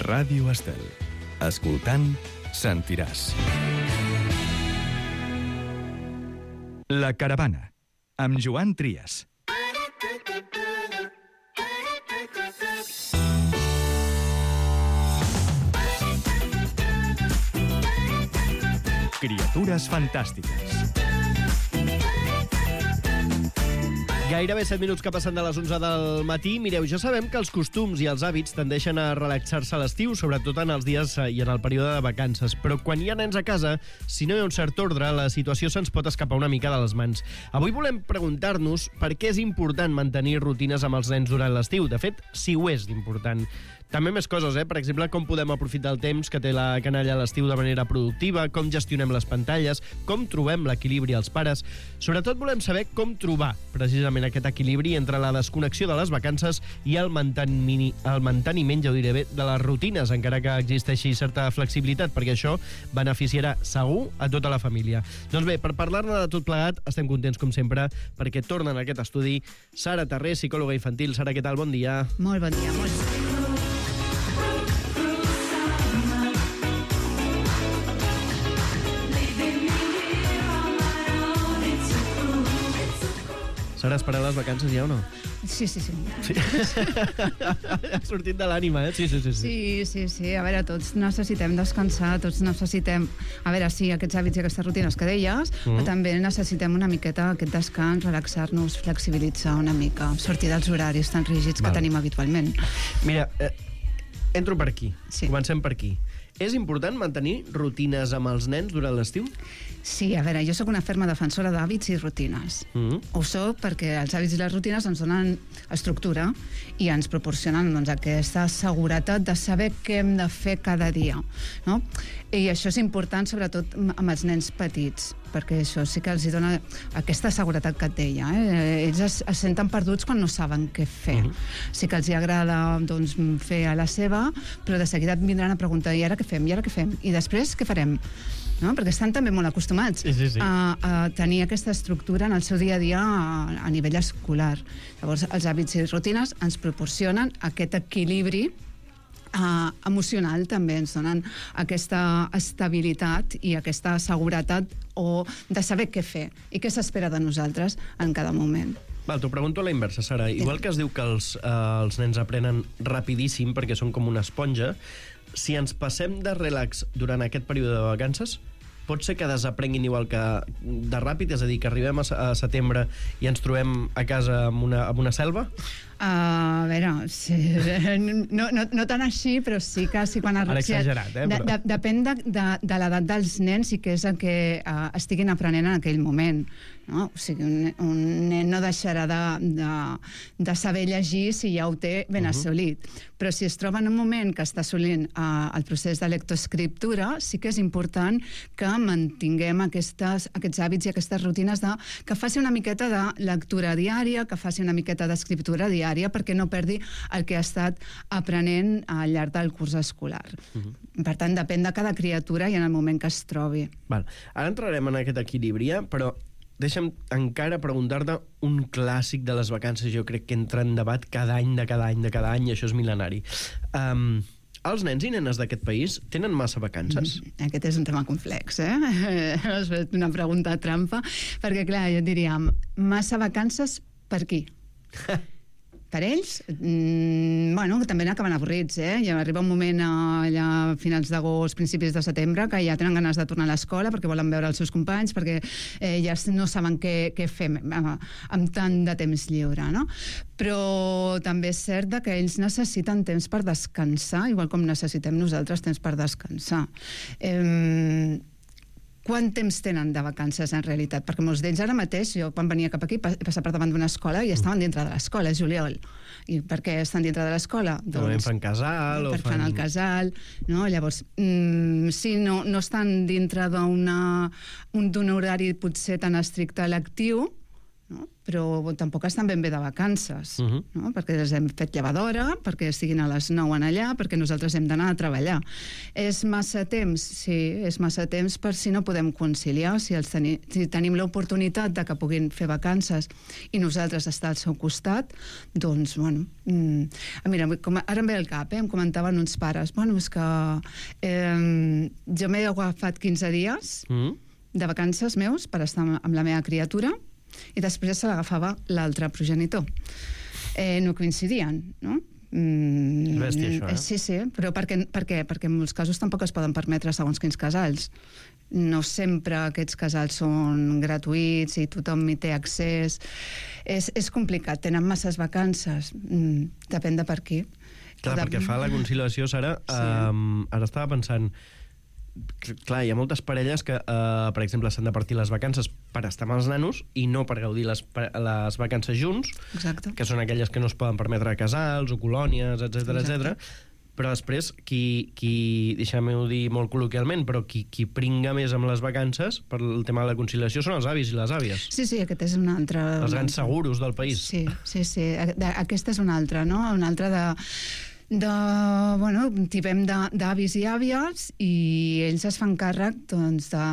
Ràdio Estel. Escoltant, sentiràs. La Caravana, amb Joan Trias. Criatures fantàstiques. Gairebé 7 minuts que passen de les 11 del matí. Mireu, ja sabem que els costums i els hàbits tendeixen a relaxar-se a l'estiu, sobretot en els dies i en el període de vacances. Però quan hi ha nens a casa, si no hi ha un cert ordre, la situació se'ns pot escapar una mica de les mans. Avui volem preguntar-nos per què és important mantenir rutines amb els nens durant l'estiu. De fet, si ho és d'important. També més coses, Per exemple, com podem aprofitar el temps que té la canalla a l'estiu de manera productiva, com gestionem les pantalles, com trobem l'equilibri als pares. Sobretot volem saber com trobar, precisament, aquest equilibri entre la desconnexió de les vacances i el manteniment, ja ho diré bé, de les rutines, encara que existeixi certa flexibilitat, perquè això beneficiarà segur a tota la família. Doncs bé, per parlar-ne de tot plegat, estem contents, com sempre, perquè tornen a aquest estudi Sara Terré, psicòloga infantil. Sara, què tal? Bon dia. Molt bon dia, molt bon dia. Sara, has parat les vacances ja o no? Sí. Sí. Ha sortit de l'ànima, Sí. Sí. A veure, tots necessitem descansar, tots necessitem... A veure, sí, aquests hàbits i aquestes rutines que deies, però també necessitem una miqueta aquest descans, relaxar-nos, flexibilitzar una mica, sortir dels horaris tan rígids que tenim habitualment. Mira, entro per aquí. Sí. Comencem per aquí. És important mantenir rutines amb els nens durant l'estiu? Sí, a veure, jo sóc una ferma defensora d'hàbits i rutines. Ho soc perquè els hàbits i les rutines ens donen estructura i ens proporcionen aquesta seguretat de saber què hem de fer cada dia, no? I això és important sobretot amb els nens petits, perquè això sí que els dona aquesta seguretat que et deia. Ells es senten perduts quan no saben què fer. Sí que els agrada fer a la seva, però de seguida et vindran a preguntar i ara què fem? I ara què fem? I després què farem? No? Perquè estan també molt acostumats a tenir aquesta estructura en el seu dia a dia a nivell escolar. Llavors, els hàbits i rutines ens proporcionen aquest equilibri emocional, també ens donen aquesta estabilitat i aquesta seguretat o de saber què fer i què s'espera de nosaltres en cada moment. Val, t'ho pregunto a la inversa, Sara. Igual que es diu que els nens aprenen rapidíssim perquè són com una esponja, si ens passem de relax durant aquest període de vacances, pot ser que desaprenguin igual que de ràpid, és a dir, que arribem a setembre i ens trobem a casa amb una selva? A veure, sí, no tan així, però sí que quan... Ara exagerat, però... Depèn de l'edat dels nens i què és el que estiguin aprenent en aquell moment. No? O sigui, un nen no deixarà de saber llegir si ja ho té ben assolit. Però si es troba en un moment que està assolint el procés de lectoescriptura, sí que és important que mantinguem aquests hàbits i aquestes rutines que faci una miqueta de lectura diària, que faci una miqueta d'escriptura diària, perquè no perdi el que ha estat aprenent al llarg del curs escolar. Per tant, depèn de cada criatura i en el moment que es trobi. Val. Ara entrarem en aquest equilibri, però deixa'm encara preguntar-te un clàssic de les vacances. Jo crec que entra en debat cada any, i això és mil·lenari. Els nens i nenes d'aquest país tenen massa vacances? Aquest és un tema complex, Has fet una pregunta trampa, perquè, clar, jo diria, massa vacances per qui? Per ells, també n'acaben avorrits, Ja arriba un moment allà a finals d'agost, principis de setembre, que ja tenen ganes de tornar a l'escola perquè volen veure els seus companys, perquè ja no saben què fer amb tant de temps lliure, no? Però també és cert que ells necessiten temps per descansar, igual com necessitem nosaltres temps per descansar. Quant temps tenen de vacances, en realitat? Perquè molts d'ells ara mateix, jo quan venia cap aquí, he passat per davant d'una escola i estaven dintre de l'escola, és juliol. I per què estan dintre de l'escola? Doncs fan casal o fan el casal, no? Llavors, si no estan dintre d'un horari potser tan estricte lectiu, no? Però tampoc estan ben bé de vacances, no? Perquè les hem fet llevadora, perquè estiguin a les 9 en allà, perquè nosaltres hem d'anar a treballar. És massa temps? Sí, és massa temps per si no podem conciliar, si tenim l'oportunitat de que puguin fer vacances i nosaltres estar al seu costat, doncs, bueno... Mira, ara em ve al cap, em comentaven uns pares, bueno, és que jo m'he agafat 15 dies de vacances meus per estar amb la meva criatura i després se l'agafava l'altre progenitor. No coincidien, no? Bèstia, això, eh? Sí, però per què? Perquè en molts casos tampoc es poden permetre segons quins casals. No sempre aquests casals són gratuïts i tothom hi té accés. És complicat, tenen masses vacances. Depèn de per qui. Clar, perquè fa la conciliació, Sara, ara estava pensant... Clar, hi ha moltes parelles que, per exemple, s'han de partir les vacances per estar amb els nanos i no per gaudir les vacances junts. Exacte. Que són aquelles que no es poden permetre casals o colònies, etc. Però després, qui deixem-ho dir molt col·loquialment, però qui pringa més amb les vacances per el tema de la conciliació són els avis i les àvies. Sí, aquest és un altre... Els grans seguros del país. Sí. Aquesta és una altra, no? Una altra tipem d'avis i àvies i ells es fan càrrec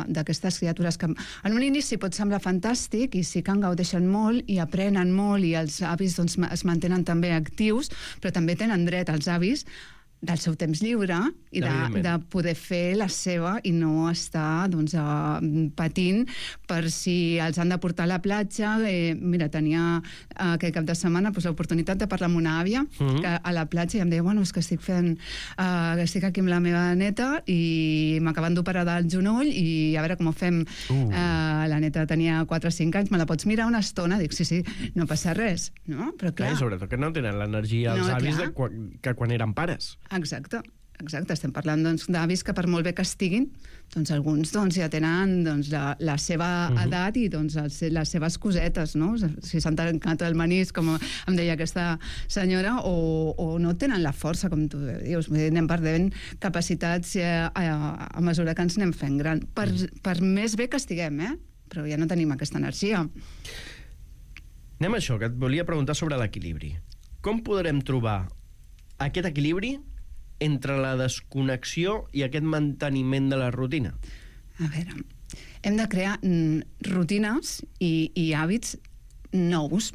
d'aquestes criatures que en un inici pot semblar fantàstic i sí que en gaudeixen molt i aprenen molt i els avis es mantenen també actius, però també tenen dret els avis del seu temps lliure i de poder fer la seva i no estar patint per si els han de portar a la platja. Mira, tenia aquest cap de setmana l'oportunitat de parlar amb una àvia que a la platja i em deia, bueno, és que estic aquí amb la meva neta i m'acaben d'operar del genoll i a veure com ho fem. La neta tenia 4 o 5 anys, me la pots mirar una estona? Dic, sí, no passa res, no? Però clar... I sobretot que no tenen l'energia els avis que quan eren pares. Exacte. Estem parlant d'avis que per molt bé que estiguin, alguns ja tenen la seva edat i les seves cosetes, no? Si s'han tancat el menís, com em deia aquesta senyora, o no tenen la força, com tu dius. Anem perdent capacitats a mesura que ens anem fent gran. Per més bé que estiguem, però ja no tenim aquesta energia. Anem a això, que et volia preguntar sobre l'equilibri. Com podrem trobar aquest equilibri entre la desconnexió i aquest manteniment de la rutina? A veure, hem de crear rutines i hàbits nous.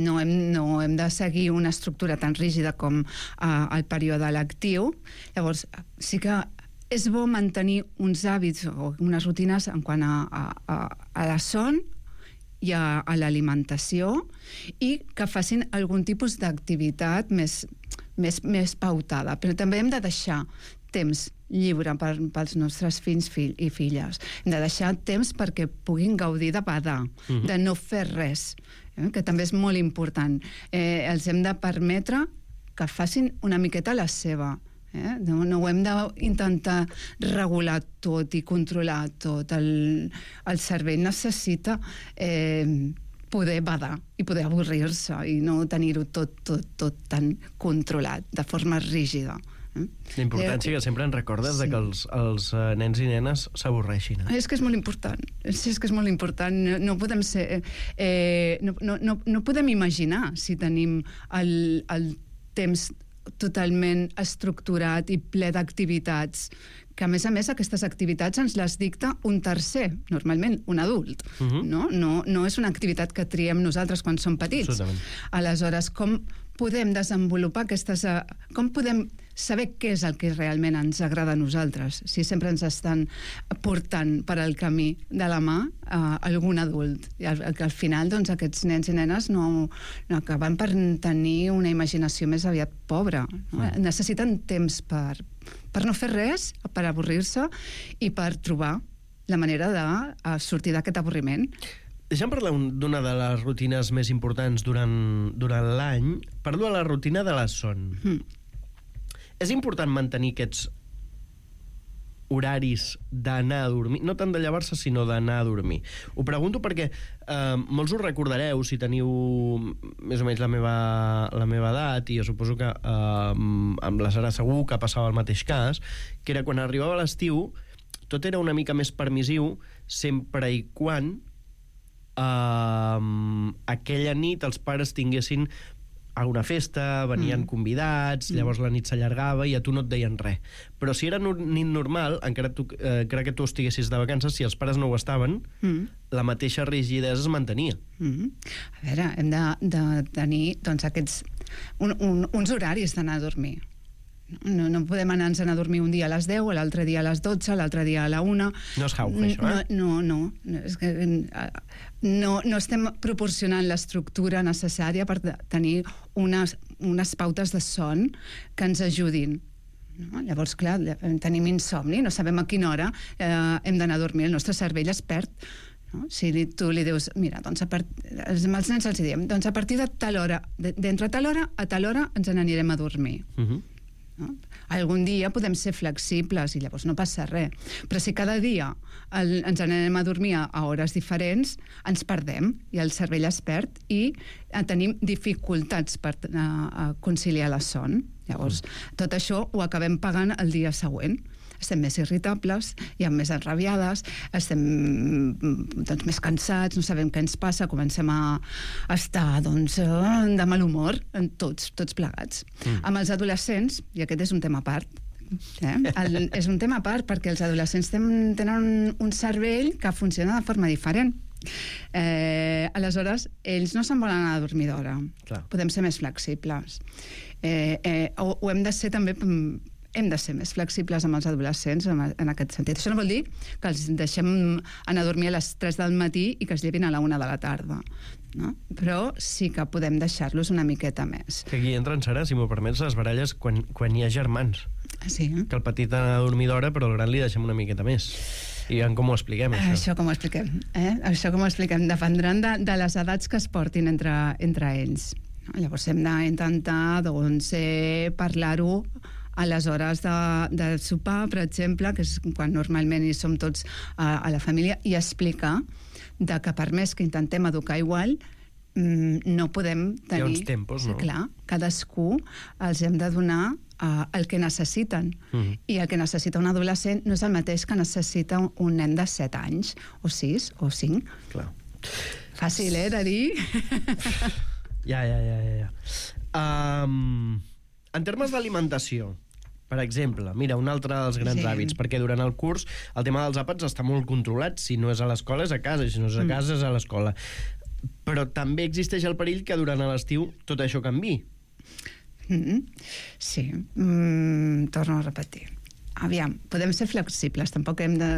No hem de seguir una estructura tan rígida com el període lectiu. Llavors, sí que és bo mantenir uns hàbits o unes rutines en quant a la son i a l'alimentació i que facin algun tipus d'activitat més pautada, però també hem de deixar temps lliure pels nostres fills i filles. Hem de deixar temps perquè puguin gaudir de badar, de no fer res, que també és molt important. Els hem de permetre que facin una miqueta la seva. No ho hem d'intentar regular tot i controlar tot. El cervell necessita poder badar i poder avorrir-se i no tenir-ho tot tan controlat, de forma rígida. La importància que sempre ens recordes de que els nens i nenes s'avorreixin. És que és molt important. És que és molt important. No podem ser... No podem imaginar si tenim el temps totalment estructurat i ple d'activitats, que a més aquestes activitats ens les dicta un tercer, normalment un adult. No és una activitat que triem nosaltres quan som petits. Absolutament. Aleshores, com podem desenvolupar aquestes... Com podem saber què és el que realment ens agrada a nosaltres, si sempre ens estan portant per al camí de la mà algun adult. I al final, aquests nens i nenes no acaben per tenir una imaginació més aviat pobra. Necessiten temps per no fer res, per avorrir-se i per trobar la manera de sortir d'aquest avorriment. Deixa'm parlar d'una de les rutines més importants durant l'any. Parlo de la rutina de la son. És important mantenir aquests horaris d'anar a dormir, no tant de llevar-se, sinó d'anar a dormir. Ho pregunto perquè molts ho recordareu si teniu més o menys la meva edat, i jo suposo que amb la Sara segur que passava el mateix cas, que era quan arribava l'estiu, tot era una mica més permissiu, sempre i quan aquella nit els pares tinguessin alguna festa, venien convidats, llavors la nit s'allargava i a tu no et deien res. Però si era nit normal, encara que tu estiguessis de vacances, si els pares no ho estaven, la mateixa rigidesa es mantenia. A veure, hem de tenir doncs, aquests uns horaris d'anar a dormir. No podem anar-nos a dormir un dia a les 10, l'altre dia a les 12, l'altre dia a la 1. No és jauja, això, eh? No. És que no estem proporcionant l'estructura necessària per tenir unes pautes de son que ens ajudin. No? Llavors, clar, tenim insomni, no sabem a quina hora hem d'anar a dormir, el nostre cervell es perd. No? Si tu li dius, mira, doncs els nens els diem, doncs a partir de tal hora, d'entre tal hora a tal hora ens n'anirem a dormir. No? Algun dia podem ser flexibles i llavors no passa res, però si cada dia ens anem a dormir a hores diferents, ens perdem i el cervell es perd i tenim dificultats per conciliar la son. Llavors, tot això ho acabem pagant el dia següent. Estem més irritables, hi ha més enrabiades, estem més cansats, no sabem què ens passa, comencem a estar de mal humor, tots plegats. Amb els adolescents, i aquest és un tema a part, és un tema a part perquè els adolescents tenen un cervell que funciona de forma diferent. Aleshores, ells no se'n volen anar a dormir d'hora. Podem ser més flexibles. Ho hem de ser també... Hem de ser més flexibles amb els adolescents en aquest sentit. Això no vol dir que els deixem anar a dormir a les 3 del matí i que es llevin a la 1 de la tarda. No? Però sí que podem deixar-los una miqueta més. Que aquí entren, Sara, si m'ho permets, les baralles quan hi ha germans. Sí. Que el petit ha a dormir d'hora, però el gran li deixem una miqueta més. I com ho expliquem, això? Això com ho expliquem? Això com ho expliquem? Dependran de les edats que es portin entre ells. Llavors hem d'intentar parlar-ho a les hores de sopar, per exemple, que és quan normalment hi som tots a la família, i explicar que per més que intentem educar igual, no podem tenir... Hi ha uns tempos, no? Clar, cadascú els hem de donar el que necessiten. I el que necessita un adolescent no és el mateix que necessita un nen de 7 anys, o 6, o 5. Clar. Fàcil, de dir? Ja. En termes d'alimentació, per exemple, mira, un altre dels grans hàbits, perquè durant el curs el tema dels àpats està molt controlat, si no és a l'escola és a casa, si no és a casa és a l'escola. Però també existeix el perill que durant l'estiu tot això canviï. Sí, torno a repetir. Aviam, podem ser flexibles, tampoc hem de...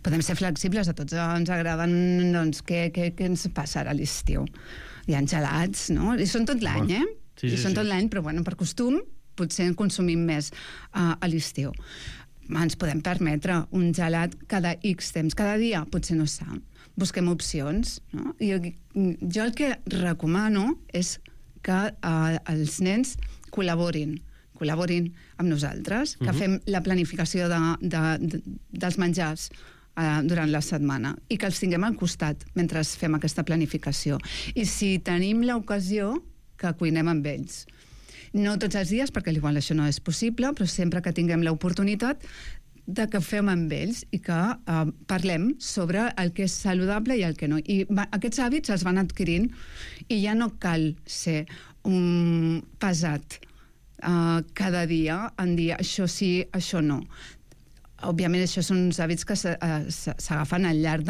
podem ser flexibles, a tots ens agraden, doncs, què ens passa ara a l'estiu? Hi ha gelats, no? I són tot l'any, Sí, I són tot l'any, però bueno, per costum potser en consumim més a l'estiu. Ens podem permetre un gelat cada X temps. Cada dia potser no s'ha. Busquem opcions. No? I jo el que recomano és que els nens col·laborin amb nosaltres, que fem la planificació dels menjars durant la setmana i que els tinguem al costat mentre fem aquesta planificació. I si tenim l'ocasió, que cuinem amb ells. No tots els dies, perquè igual això no és possible, però sempre que tinguem l'oportunitat de que fem amb ells i que parlem sobre el que és saludable i el que no. I aquests hàbits els van adquirint i ja no cal ser un pesat cada dia en dir això sí, això no. Òbviament, això són uns hàbits que s'agafen al llarg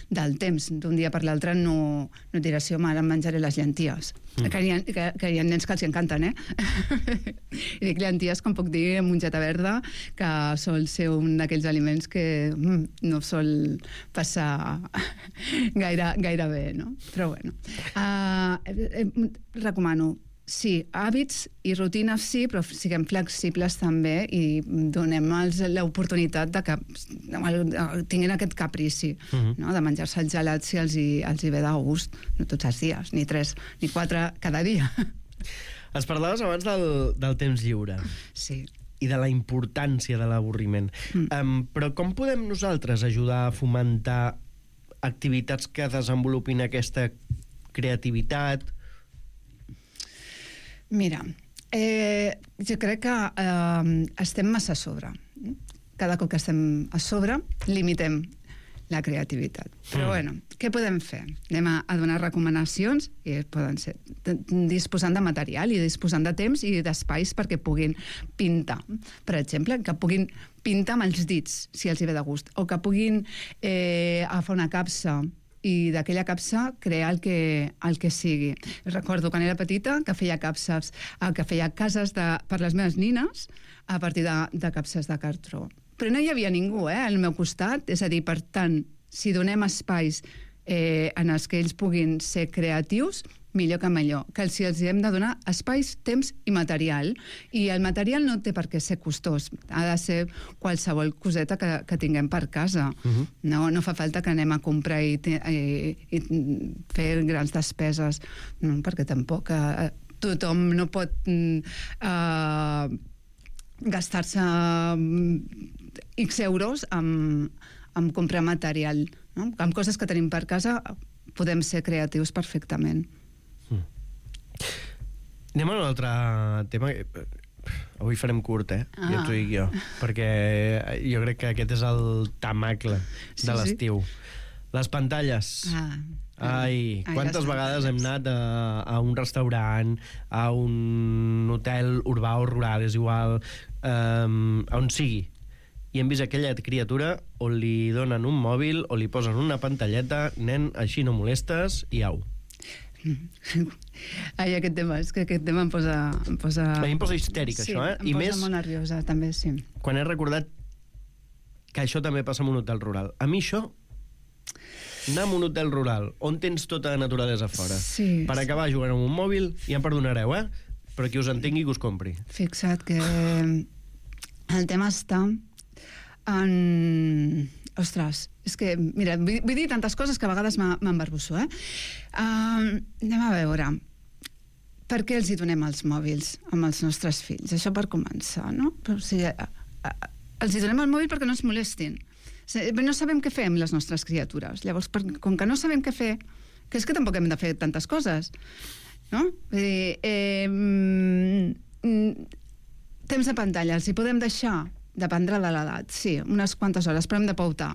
del temps. D'un dia per l'altre no diràs, sí, home, ara em menjaré les llenties. Que hi ha nens que els encanten, I dic llenties, com puc dir, mongeta verda, que sol ser un d'aquells aliments que no sol passar gaire bé, no? Però bueno, recomano, sí, hàbits i rutines sí, però siguem flexibles també i donem-los l'oportunitat de que tinguin aquest caprici, no? De menjar-se el gelat si els hi ve de gust, no tots els dies, ni 3 ni 4 cada dia. Es parlaves abans del temps lliure. Sí. I de la importància de l'avorriment. Però com podem nosaltres ajudar a fomentar activitats que desenvolupin aquesta creativitat? Mira, jo crec que estem massa a sobre. Cada cop que estem a sobre, limitem la creativitat. Però bueno, què podem fer? Anem a donar recomanacions i poden ser disposant de material i disposant de temps i d'espais perquè puguin pintar. Per exemple, que puguin pintar amb els dits, si els hi ve de gust, o que puguin agafar una capsa i d'aquella capsa crear el que sigui. Recordo quan era petita que feia capses, que feia cases per les meves nines a partir de capses de cartró. Però no hi havia ningú al meu costat, és a dir, per tant, si donem espais en els que ells puguin ser creatius, millor que millor, que els hem de donar espais, temps i material. I el material no té per què ser costós, ha de ser qualsevol coseta que tinguem per casa. No fa falta que anem a comprar i fer grans despeses, no, perquè tampoc tothom no pot gastar-se X euros en comprar material. No? Amb coses que tenim per casa podem ser creatius perfectament. Anem a un altre tema. Avui farem curt, ja t'ho dic jo, perquè jo crec que aquest és el tamacle de l'estiu. Les pantalles. Quantes vegades hem anat a un restaurant, a un hotel urbà o rural, és igual, on sigui, i hem vist aquella criatura on li donen un mòbil o li posen una pantalleta, nen, així no molestes, i au. Aquest tema, és que aquest tema em posa... A mi em posa histèric, això, Sí, em posa molt nerviosa, també, sí. Quan he recordat que això també passa en un hotel rural. A mi això, anar a un hotel rural on tens tota la naturalesa fora, per acabar jugant amb un mòbil, ja em perdonareu, però qui us entengui que us compri. Fixa't que el tema està en... Ostres, és que, mira, vull dir tantes coses que a vegades m'embarbusso, anem a veure, per què els hi donem els mòbils amb els nostres fills? Això per començar, no? Però, o sigui, els hi donem el mòbil perquè no ens molestin. No sabem què fer amb les nostres criatures. Llavors, com que no sabem què fer, que és que tampoc hem de fer tantes coses, no? Vull dir, temps de pantalla, els hi podem deixar? Dependrà de l'edat, sí, unes quantes hores, però hem de pautar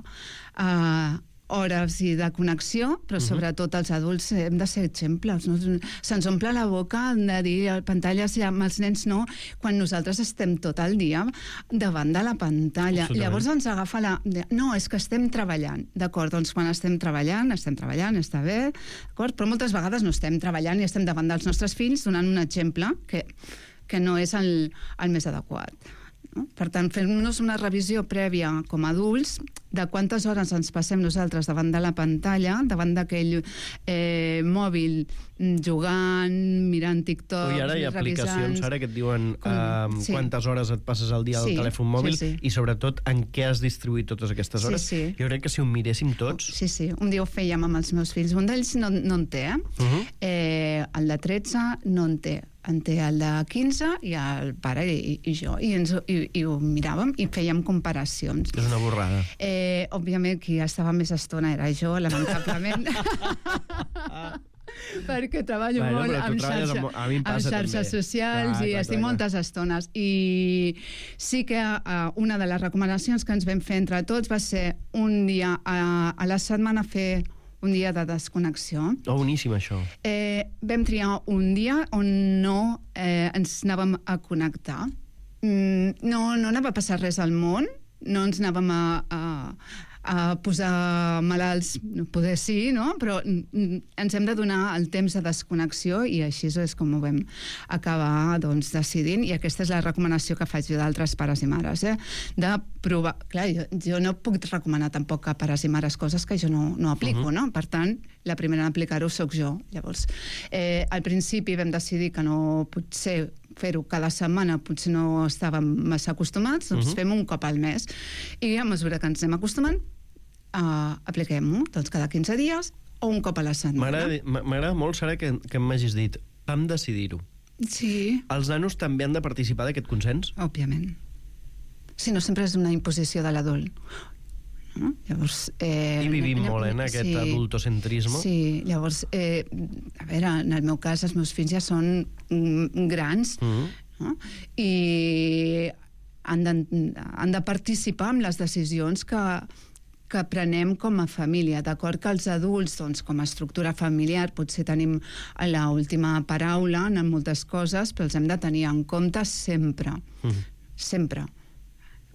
hores i de connexió, però sobretot els adults hem de ser exemples. No? Se'ns omple la boca de dir pantalles amb els nens no, quan nosaltres estem tot el dia davant de la pantalla. Llavors ens agafa no, és que estem treballant. D'acord, doncs quan estem treballant, està bé, d'acord? Però moltes vegades no estem treballant i estem davant dels nostres fills donant un exemple que no és el més adequat. No? Per tant, fem-nos una revisió prèvia com a adults de quantes hores ens passem nosaltres davant de la pantalla, davant d'aquell mòbil, jugant, mirant TikTok, i ara hi ha aplicacions ara que et diuen quantes hores et passes al dia al telèfon mòbil i sobretot en què has distribuït totes aquestes hores. Jo crec que si ho miréssim tots... Sí, un dia ho fèiem amb els meus fills. Un d'ells no en té, el de 13 no en té. En té el de 15 i el pare i jo. I ho miràvem i fèiem comparacions. És una borrada. Òbviament, qui estava més estona era jo, lamentablement. Perquè treballo molt amb xarxes socials i estic moltes estones. I sí que una de les recomanacions que ens vam fer entre tots va ser un dia a la setmana fer un dia de desconnexió. Boníssim, això. Vam triar un dia on no ens anàvem a connectar. No anava a passar res al món, no ens anàvem a posar malalts, poder sí, no? Però ens hem de donar el temps de desconnexió i així és com ho vam acabar decidint, i aquesta és la recomanació que faig jo d'altres pares i mares, de provar. Clar, jo no puc recomanar tampoc a pares i mares coses que jo no aplico, no? Per tant, la primera en aplicar-ho soc jo. Llavors, al principi vam decidir que no potser fer-ho cada setmana, potser no estàvem massa acostumats, doncs fem un cop al mes. I a mesura que ens anem acostumant, apliquem-ho, doncs cada 15 dies o un cop a la setmana. M'agrada molt, Sara, que m'hagis dit, vam decidir-ho. Sí. Els nanos també han de participar d'aquest consens? Òbviament. Si no, sempre és una imposició de l'adult. No? Llavors, i vivim molt en aquest adultocentrisme. Sí, llavors, a veure, en el meu cas els meus fills ja són grans, no? I han de participar en les decisions que que prenem com a família. D'acord que els adults, doncs, com a estructura familiar, potser tenim l'última paraula en moltes coses, però els hem de tenir en compte sempre. Sempre.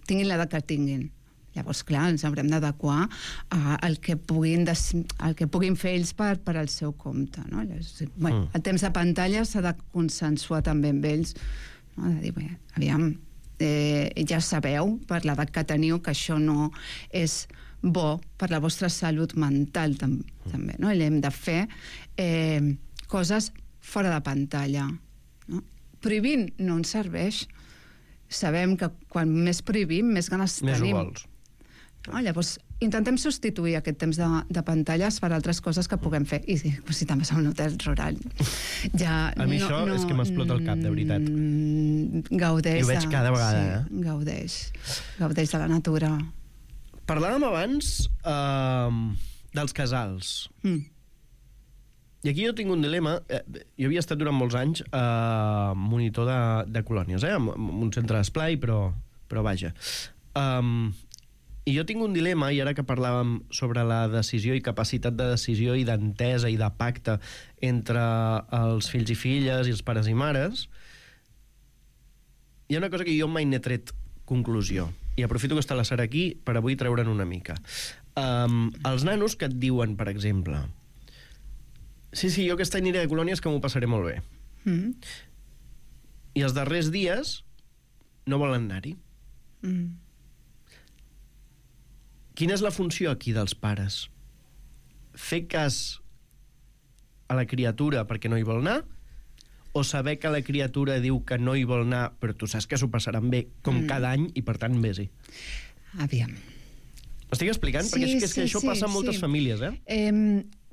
Tinguin l'edat que tinguin. Llavors, clar, ens haurem d'adequar al que puguin fer ells per al seu compte. No? Bueno, el temps de pantalla s'ha de consensuar també amb ells. No? De dir, bé, aviam, ja sabeu, per l'edat que teniu, que això no és bo per la vostra salut mental també. No? I hem de fer coses fora de pantalla. No? Prohibint no ens serveix. Sabem que quan més prohibim, més ganes tenim. Més ho vols. No? Llavors, intentem substituir aquest temps de pantalles per altres coses que puguem fer. I si també som un hotel rural. Ja, a mi això és que m'explota el cap, de veritat. Gaudeix. I ho veig cada vegada. Sí, gaudeix de la natura. Parlàvem abans dels casals. I aquí jo tinc un dilema. Jo havia estat durant molts anys monitor de colònies, en un centre d'esplai, però vaja. I jo tinc un dilema, i ara que parlàvem sobre la decisió i capacitat de decisió i d'entesa i de pacte entre els fills i filles i els pares i mares, hi ha una cosa que jo mai n'he tret conclusió, i aprofito que està la Sara aquí per avui treure'n una mica. Els nanos que et diuen, per exemple, sí, jo aquest any aniré de colònies que m'ho passaré molt bé. I els darrers dies no volen anar-hi. Quina és la funció aquí dels pares? Fer cas a la criatura perquè no hi vol anar? O saber que la criatura diu que no hi vol anar, però tu saps que s'ho passaran bé com cada any i, per tant, vés-hi? Aviam. M'estic explicant? Perquè és que això passa en moltes famílies,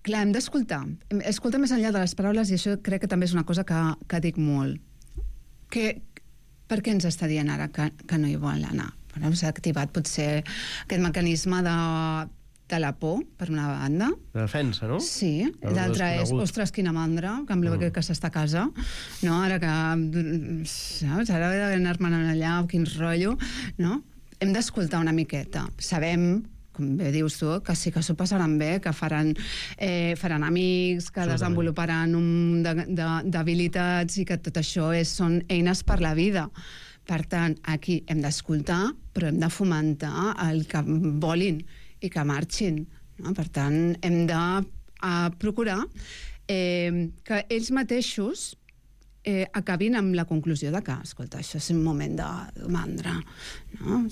Clar, hem d'escoltar. Escolta més enllà de les paraules, i això crec que també és una cosa que dic molt. Per què ens està dient ara que no hi vol anar? S'ha activat potser aquest mecanisme de la por, per una banda. De defensa, no? Sí. L'altra és, ostres, quina mandra, que em bé que s'està a casa. No, ara que... Saps? Ara he d'anar-me'n allà, quin rotllo. No? Hem d'escoltar una miqueta. Sabem, com bé dius tu, que sí que s'ho passaran bé, que faran amics, que desenvoluparan d'habilitats i que tot això són eines per la vida. Per tant, aquí hem d'escoltar, però hem de fomentar el que volin i que marxin. No? Per tant, hem de procurar que ells mateixos acabin amb la conclusió de que, escolta, això és un moment de mandra. No?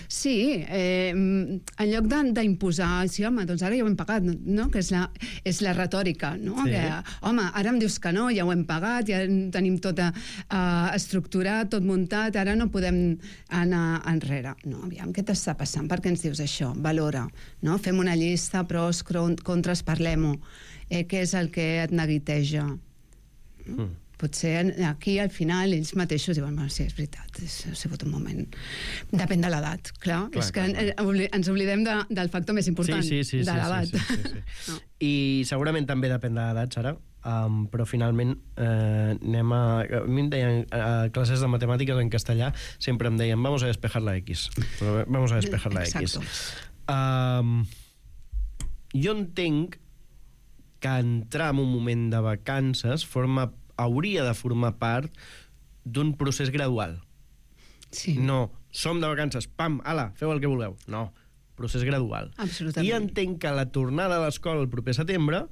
Sí, en lloc d'imposar, sí, home, doncs ara ja ho hem pagat, no? Que és la retòrica, no? Sí. Que, home, ara em dius que no, ja ho hem pagat, ja tenim tot estructurat, tot muntat, ara no podem anar enrere. No, aviam, què t'està passant? Per què ens dius això? Valora, no? Fem una llista, pros, contres, parlem-ho. Què és el que et neguiteja? Potser aquí al final ells mateixos diuen, sí, és veritat, ha sigut un moment. Depèn de l'edat, clar. És que ens oblidem del factor més important, de l'edat. No. I segurament també depèn de l'edat, Sara, però finalment anem a... A mi em deien a classes de matemàtiques en castellà, sempre em deien, vamos a despejar la X. Vamos a despejar la X. Jo entenc que entrar en un moment de vacances hauria de formar part d'un procés gradual. Sí. No, som de vacances, pam, ala, feu el que voleu. No, procés gradual. Absolutament. I entenc que la tornada a l'escola el proper setembre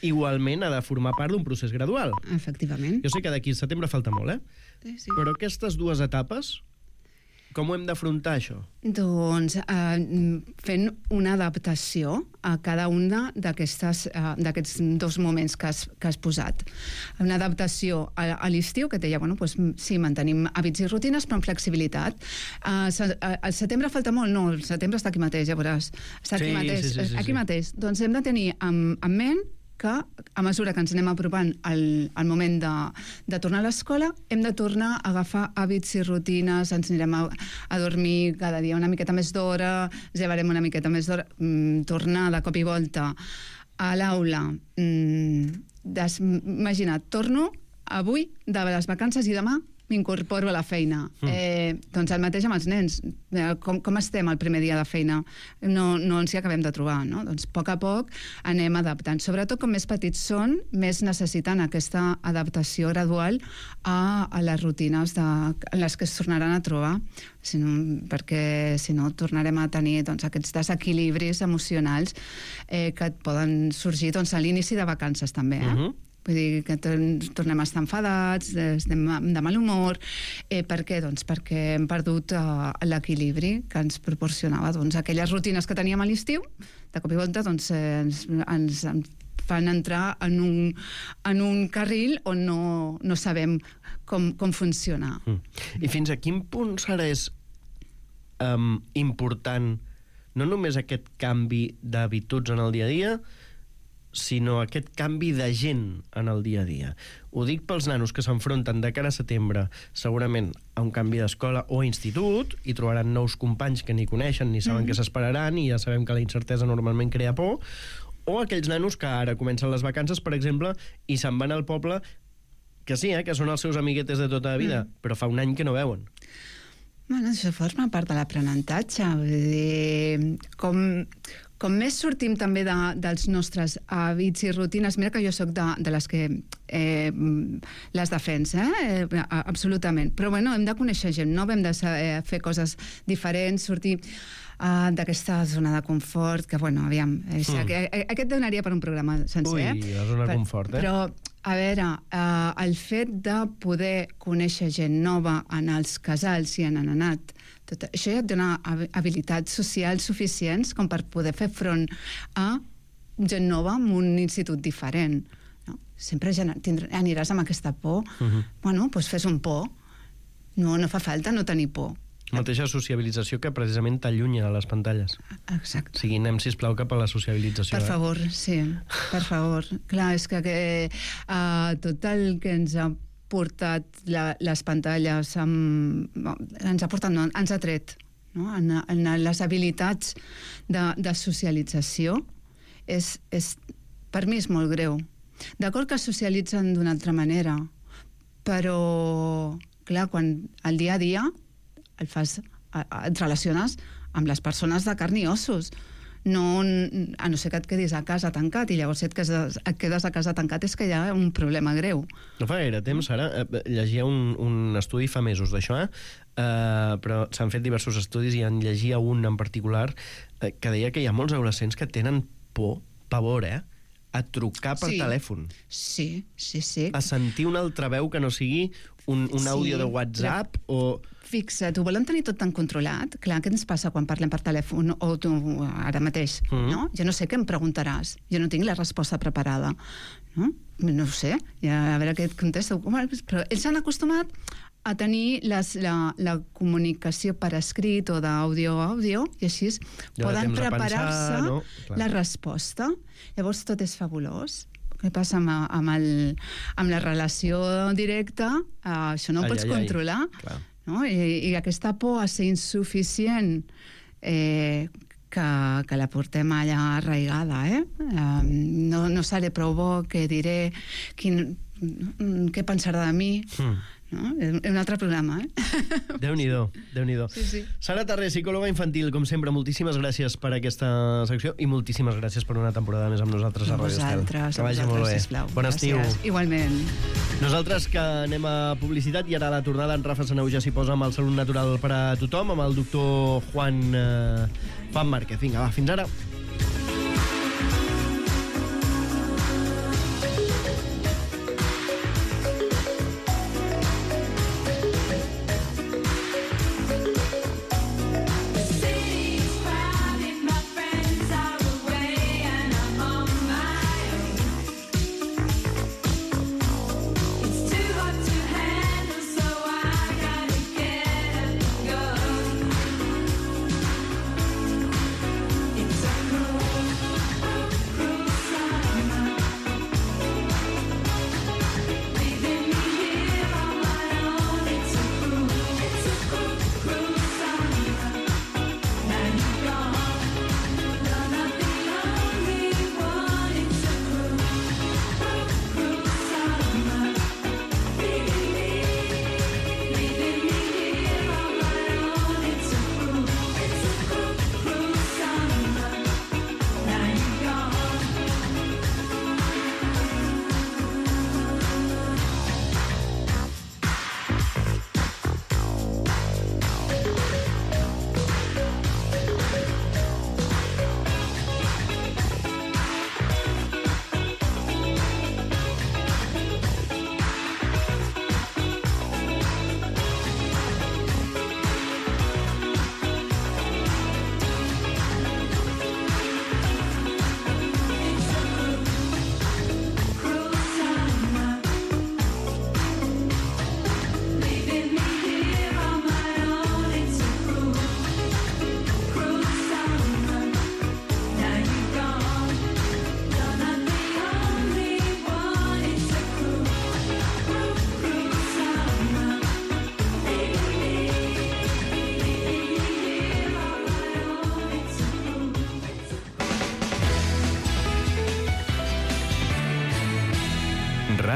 igualment ha de formar part d'un procés gradual. Efectivament. Jo sé que d'aquí a setembre falta molt, Sí. Però aquestes dues etapes, com ho hem d'afrontar, això? Doncs fent una adaptació a cada un d'aquests dos moments que has posat. Una adaptació a l'estiu, que et deia, bueno, doncs, sí, mantenim hàbits i rutines, però amb flexibilitat. Al setembre falta molt? No, el setembre està aquí mateix, ja veuràs. Està aquí mateix. Aquí mateix. Doncs hem de tenir en ment que a mesura que ens anem apropant al moment de tornar a l'escola, hem de tornar a agafar hàbits i rutines, ens anirem a dormir cada dia una miqueta més d'hora, llevarem una miqueta més d'hora, tornar de cop i volta a l'aula. Imagina't, torno avui, de les vacances, i demà m'incorporo a la feina. Doncs el mateix amb els nens. Com estem el primer dia de feina? No ens hi acabem de trobar, no? Doncs a poc anem adaptant. Sobretot, com més petits són, més necessiten aquesta adaptació gradual a les rutines en les que es tornaran a trobar, perquè si no tornarem a tenir aquests desequilibris emocionals que et poden sorgir a l'inici de vacances també, Vull dir que tornem a estar enfadats, estem de mal humor. Per què? Doncs perquè hem perdut l'equilibri que ens proporcionava aquelles rutines que teníem a l'estiu. De cop i volta ens fan entrar en un carril on no sabem com funcionar. I fins a quin punt serà important no només aquest canvi d'habituds en el dia a dia, sinó aquest canvi de gent en el dia a dia. Ho dic pels nanos que s'enfronten de cara a setembre, segurament a un canvi d'escola o institut, i trobaran nous companys que ni coneixen ni saben què s'esperaran, i ja sabem que la incertesa normalment crea por, o aquells nanos que ara comencen les vacances, per exemple, i se'n van al poble, que sí, que són els seus amiguetes de tota la vida, però fa un any que no veuen. Bueno, això forma part de l'aprenentatge. Vull dir, com més sortim també dels nostres hàbits i rutines, mira que jo sóc de les que les defensa, absolutament. Però bueno, hem de conèixer gent nova, hem de saber fer coses diferents, sortir d'aquesta zona de confort, que bueno, aviam, aquest donaria per un programa sencer. Ui, la zona de confort, Però, a veure, el fet de poder conèixer gent nova en els casals i en anat, tot això ja et dona habilitats socials suficients com per poder fer front a gent nova en un institut diferent. No? Sempre aniràs amb aquesta por. Bueno, doncs fes un por. No fa falta no tenir por. Mateixa sociabilització que precisament t'allunya a les pantalles. Exacte. O sigui, anem, sisplau, cap a la sociabilització. Per favor, sí, per favor. Clar, és que tot el que ens ha portat les pantalles ens ha tret, no? En les habilitats de socialització per mi és molt greu. D'acord que socialitzen d'una altra manera, però clar, quan el dia a dia et relaciones amb les persones de carn i ossos, a no ser que et quedis a casa tancat, i llavors si et quedes a casa tancat és que hi ha un problema greu. No fa gaire temps, ara, llegia un estudi fa mesos d'això, però s'han fet diversos estudis i en llegia un en particular que deia que hi ha molts adolescents que tenen pavor, a trucar per telèfon. Sí. A sentir una altra veu que no sigui un àudio de WhatsApp o... Fixa't, ho volen tenir tot tan controlat. Clar, què ens passa quan parlem per telèfon o tu ara mateix, no? Jo no sé què em preguntaràs. Jo no tinc la resposta preparada. No ho sé. A veure què et contesto. Però ells s'han acostumat a tenir la comunicació per escrit o d'àudio a àudio, i així poden preparar-se la resposta. Llavors tot és fabulós. Què passa amb la relació directa? Això no ho pots controlar. No? I aquesta por a ser insuficient que la portem allà arraigada, no seré prou bo, què diré, què pensarà de mi, no? És un altre programa, Déu-n'hi-do, Déu-n'hi-do. Sí. Sara Tarré, psicòloga infantil, com sempre, moltíssimes gràcies per aquesta secció i moltíssimes gràcies per una temporada més amb nosaltres a Ràdio Estel. Que vagi molt bé. Bon estiu. Igualment. Nosaltres que anem a publicitat i ara a la tornada en Rafa Saneu ja s'hi posa amb el Salut Natural per a tothom, amb el doctor Juan Márquez. Vinga, va, fins ara. It's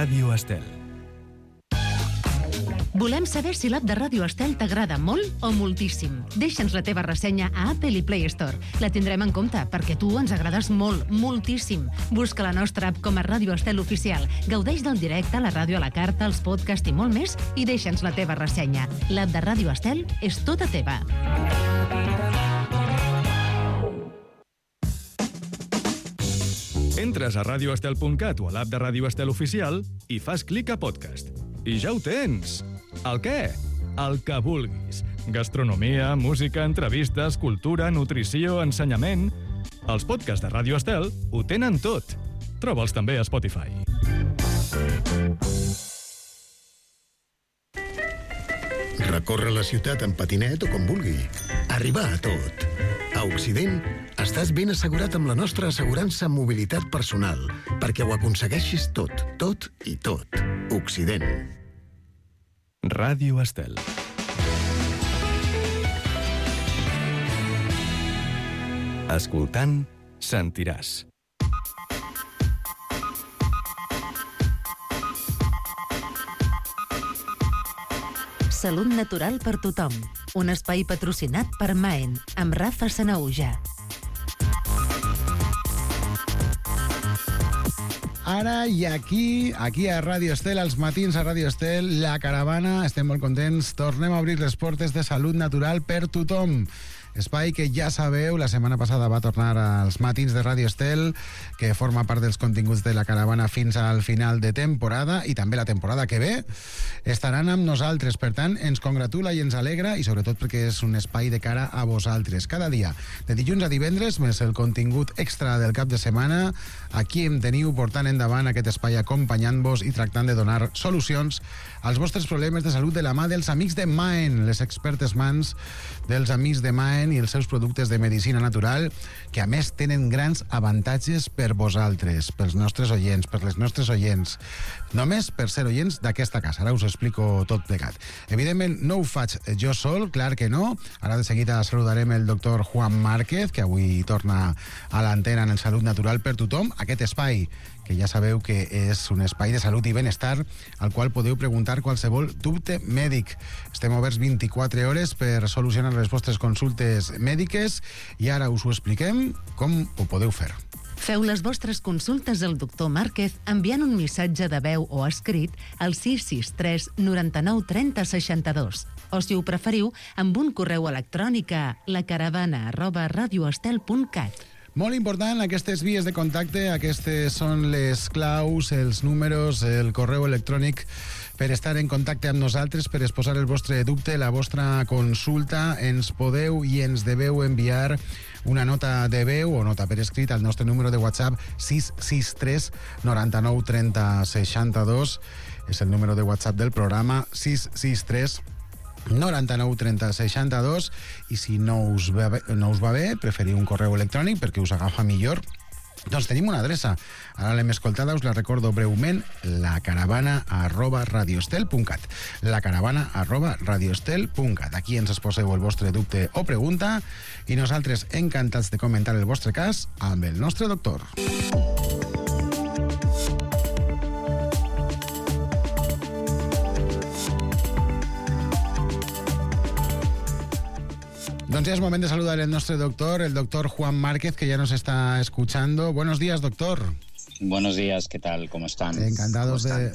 Ràdio Estel. Volem saber si l'app de Ràdio Estel t'agrada molt o moltíssim. Deixa'ns la teva ressenya a Apple i Play Store. La tindrem en compte, perquè tu ens agrades molt, moltíssim. Busca la nostra app com a Ràdio Estel Oficial. Gaudeix del directe, la ràdio a la carta, els podcasts i molt més, i deixa'ns la teva ressenya. L'app de Ràdio Estel és tota teva. Entres a radioestel.cat o a l'app de Ràdio Estel Oficial i fas clic a podcast. I ja ho tens! El què? El que vulguis. Gastronomia, música, entrevistes, cultura, nutrició, ensenyament... Els podcasts de Ràdio Estel ho tenen tot. Troba'ls també a Spotify. Recórrer la ciutat en patinet o com vulgui. Arribar a tot. A Occident, estàs ben assegurat amb la nostra assegurança en mobilitat personal, perquè ho aconsegueixis tot, tot i tot. Occident. Ràdio Estel. Escoltant, sentiràs. Salut natural per tothom. Un espai patrocinat per Maen, amb Rafa Sanaüja. Ara i aquí a Ràdio Estel, als matins a Ràdio Estel, La Caravana, estem molt contents, tornem a obrir les portes de salut natural per tothom. Espai que ja sabeu, la setmana passada va tornar als matins de Ràdio Estel, que forma part dels continguts de La Caravana fins al final de temporada, i també la temporada que ve estaran amb nosaltres. Per tant, ens congratula i ens alegra, i sobretot perquè és un espai de cara a vosaltres. Cada dia, de dilluns a divendres, més el contingut extra del cap de setmana, aquí em teniu portant endavant aquest espai, acompanyant-vos i tractant de donar solucions als vostres problemes de salut de la mà dels amics de Maen, les expertes mans dels amics de Maen i els seus productes de medicina natural, que a més tenen grans avantatges per vosaltres, pels nostres oients, per les nostres oients, només per ser oients d'aquesta casa. Ara us explico tot plegat. Evidentment, no ho faig jo sol, clar que no. Ara de seguida saludarem el doctor Juan Márquez, que avui torna a l'antena en el Salut Natural per tothom, aquest espai que ja sabeu que és un espai de salut i benestar al qual podeu preguntar qualsevol dubte mèdic. Estem oberts 24 hores per solucionar les vostres consultes mèdiques i ara us ho expliquem com ho podeu fer. Feu les vostres consultes al doctor Márquez enviant un missatge de veu o escrit al 663 99 30 62. O, si ho preferiu, amb un correu electrònic a lacaravana@radioestel.cat. Molt important, aquestes vies de contacte, aquestes són les claus, els números, el correu electrònic per estar en contacte amb nosaltres, per exposar el vostre dubte, la vostra consulta. Ens podeu i ens deveu enviar una nota de veu o nota per escrit al nostre número de WhatsApp 663 99 30 62. És el número de WhatsApp del programa, 663 99 30 62, i si no us va bé, preferiu un correu electrònic perquè us agafa millor, doncs tenim una adreça. Ara l'hem escoltada, us la recordo breument: lacaravana@radioestel.cat. lacaravana@radioestel.cat. Aquí ens exposeu el vostre dubte o pregunta i nosaltres encantats de comentar el vostre cas amb el nostre doctor. Doncs ya es momento de saludar al nuestro doctor, el doctor Juan Márquez, que ya nos está escuchando. Buenos días, doctor. Buenos días, ¿qué tal? ¿Cómo están?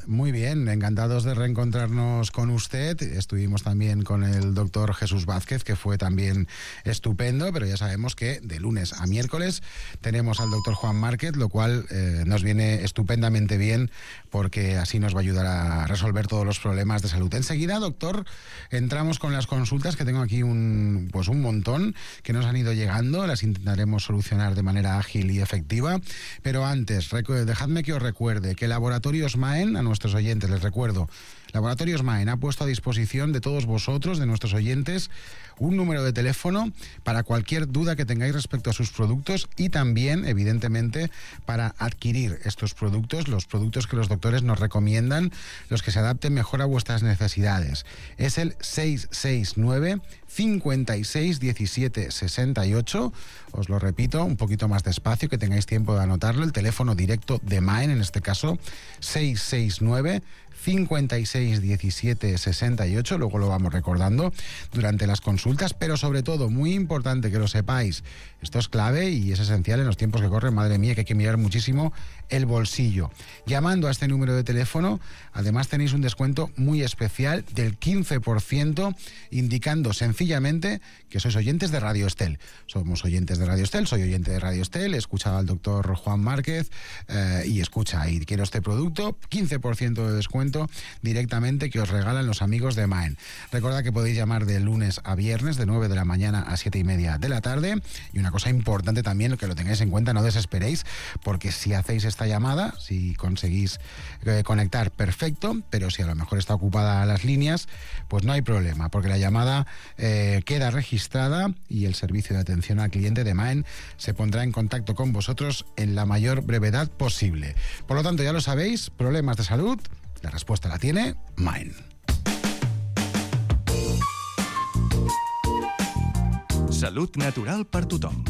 Muy bien, encantados de reencontrarnos con usted. Estuvimos también con el doctor Jesús Vázquez, que fue también estupendo, pero ya sabemos que de lunes a miércoles tenemos al doctor Juan Márquez, lo cual nos viene estupendamente bien, porque así nos va a ayudar a resolver todos los problemas de salud. Enseguida, doctor, entramos con las consultas, que tengo aquí un montón que nos han ido llegando. Las intentaremos solucionar de manera ágil y efectiva, pero antes, dejadme que os recuerde que Laboratorios Maen, a nuestros oyentes les recuerdo, Laboratorios Maen ha puesto a disposición de todos vosotros, de nuestros oyentes, un número de teléfono para cualquier duda que tengáis respecto a sus productos y también, evidentemente, para adquirir estos productos, los productos que los doctores nos recomiendan, los que se adapten mejor a vuestras necesidades. Es el 669 56 17 68. Os lo repito un poquito más despacio, que tengáis tiempo de anotarlo. El teléfono directo de Maen, en este caso, 669 56 17 68, luego lo vamos recordando durante las consultas, pero sobre todo, muy importante que lo sepáis, esto es clave y es esencial en los tiempos que corren, madre mía, que hay que mirar muchísimo el bolsillo. Llamando a este número de teléfono, además tenéis un descuento muy especial del 15%, indicando sencillamente que sois oyentes de Radio Estel. Somos oyentes de Radio Estel, soy oyente de Radio Estel, he escuchado al doctor Juan Márquez y quiero este producto, 15% de descuento directamente que os regalan los amigos de Maen. Recordad que podéis llamar de lunes a viernes de 9 de la mañana a 7:30 de la tarde. Y una cosa importante también, que lo tengáis en cuenta, no desesperéis, porque si hacéis esta llamada, si conseguís conectar, perfecto, pero si a lo mejor está ocupada las líneas, pues no hay problema, porque la llamada queda registrada y el servicio de atención al cliente de Maen se pondrá en contacto con vosotros en la mayor brevedad posible. Por lo tanto, ya lo sabéis, problemas de salud, la respuesta la tiene Maen. Salut natural per tothom.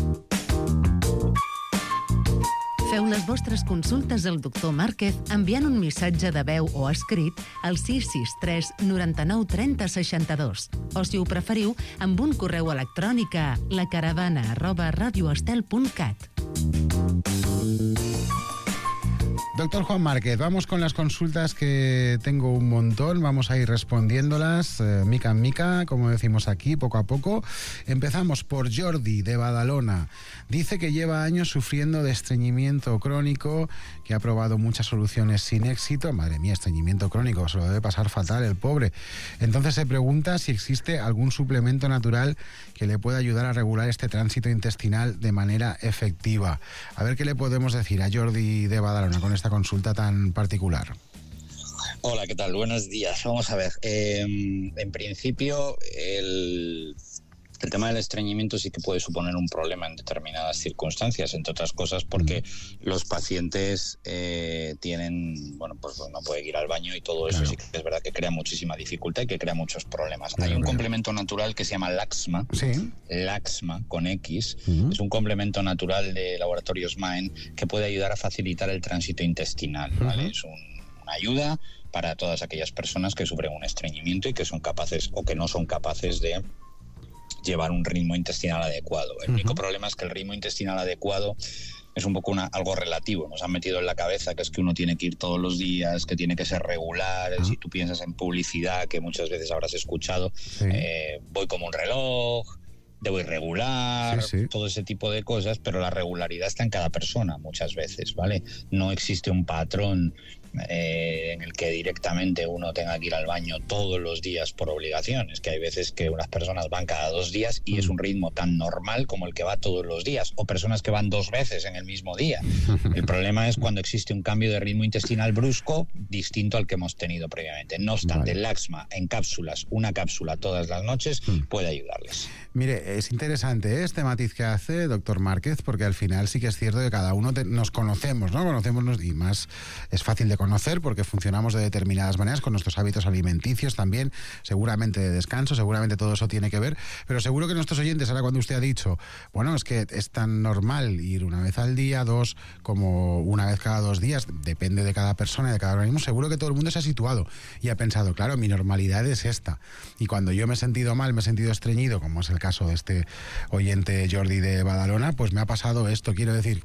Feu les vostres consultes al doctor Márquez enviant un missatge de veu o escrit al 663 99 30 62. O, si ho preferiu, amb un correu electrònic a lacaravana@radioestel.cat. Doctor Juan Márquez, vamos con las consultas, que tengo un montón, vamos a ir respondiéndolas mica en mica, como decimos aquí, poco a poco. Empezamos por Jordi, de Badalona. Dice que lleva años sufriendo de estreñimiento crónico, que ha probado muchas soluciones sin éxito. Madre mía, estreñimiento crónico, se lo debe pasar fatal el pobre. Entonces se pregunta si existe algún suplemento natural que le pueda ayudar a regular este tránsito intestinal de manera efectiva. A ver qué le podemos decir a Jordi de Badalona con esta consulta tan particular. Hola, ¿qué tal? Buenos días. Vamos a ver. En principio, el tema del estreñimiento sí que puede suponer un problema en determinadas circunstancias, entre otras cosas porque los pacientes tienen, pues no pueden ir al baño y todo eso. Claro. Sí que es verdad que crea muchísima dificultad y que crea muchos problemas. Hay un complemento natural que se llama Laxma, ¿sí? Laxma con X, es un complemento natural de Laboratorios Maen que puede ayudar a facilitar el tránsito intestinal, ¿vale? Es una ayuda para todas aquellas personas que sufren un estreñimiento y que son capaces o que no son capaces de llevar un ritmo intestinal adecuado. El único problema es que el ritmo intestinal adecuado es un poco algo relativo. Nos han metido en la cabeza que es que uno tiene que ir todos los días, que tiene que ser regular. Si tú piensas en publicidad, que muchas veces habrás escuchado, voy como un reloj, debo ir regular, todo ese tipo de cosas, pero la regularidad está en cada persona muchas veces, ¿vale? No existe un patrón en el que directamente uno tenga que ir al baño todos los días por obligación. Es que hay veces que unas personas van cada 2 días y es un ritmo tan normal como el que va todos los días, o personas que van 2 veces en el mismo día. El problema es cuando existe un cambio de ritmo intestinal brusco distinto al que hemos tenido previamente. No obstante, el Laxma en cápsulas, una cápsula todas las noches, puede ayudarles. Mire, es interesante este matiz que hace doctor Márquez, porque al final sí que es cierto que cada uno nos conocemos, ¿no? Conocemos, y más es fácil de conocer porque funcionamos de determinadas maneras con nuestros hábitos alimenticios también, seguramente de descanso, seguramente todo eso tiene que ver, pero seguro que nuestros oyentes, ahora cuando usted ha dicho, bueno, es que es tan normal ir una vez al día, 2, como una vez cada 2 días, depende de cada persona y de cada organismo, seguro que todo el mundo se ha situado y ha pensado, claro, mi normalidad es esta, y cuando yo me he sentido mal, me he sentido estreñido, como es el caso de este oyente Jordi de Badalona, pues me ha pasado esto. Quiero decir,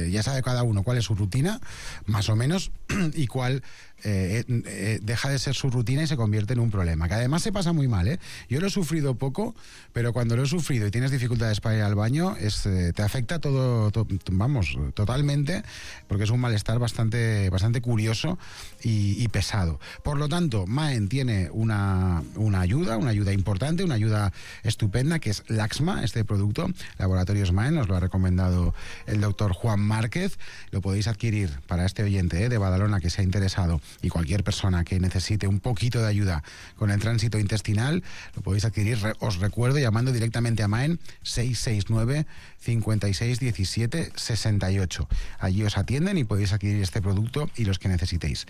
ya sabe cada uno cuál es su rutina, más o menos, y cuál deja de ser su rutina y se convierte en un problema, que además se pasa muy mal, ¿eh? Yo lo he sufrido poco, pero cuando lo he sufrido y tienes dificultades para ir al baño, te afecta totalmente, porque es un malestar bastante curioso y pesado. Por lo tanto, Maen tiene una ayuda importante, una ayuda estupenda, que es Laxma, este producto. Laboratorios Maen, nos lo ha recomendado el doctor Juan Márquez. Lo podéis adquirir para este oyente de Badalona que se ha interesado, y cualquier persona que necesite un poquito de ayuda con el tránsito intestinal, lo podéis adquirir, os recuerdo, llamando directamente a Maen 669 56 17 68. Allí os atienden y podéis adquirir este producto y los que necesitéis.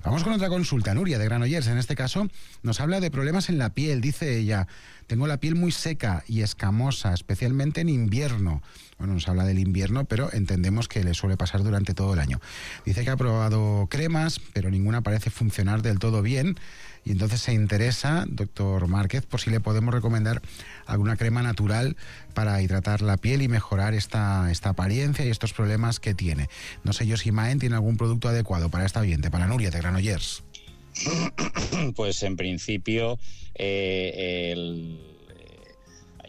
Vamos con otra consulta. Nuria, de Granollers, en este caso, nos habla de problemas en la piel. Dice ella: tengo la piel muy seca y escamosa, especialmente en invierno. Bueno, nos habla del invierno, pero entendemos que le suele pasar durante todo el año. Dice que ha probado cremas, pero ninguna parece funcionar del todo bien. Y entonces se interesa, doctor Márquez, por si le podemos recomendar alguna crema natural para hidratar la piel y mejorar esta apariencia y estos problemas que tiene. No sé yo si Maen tiene algún producto adecuado para esta oyente, para Nuria de Granollers. Pues en principio hay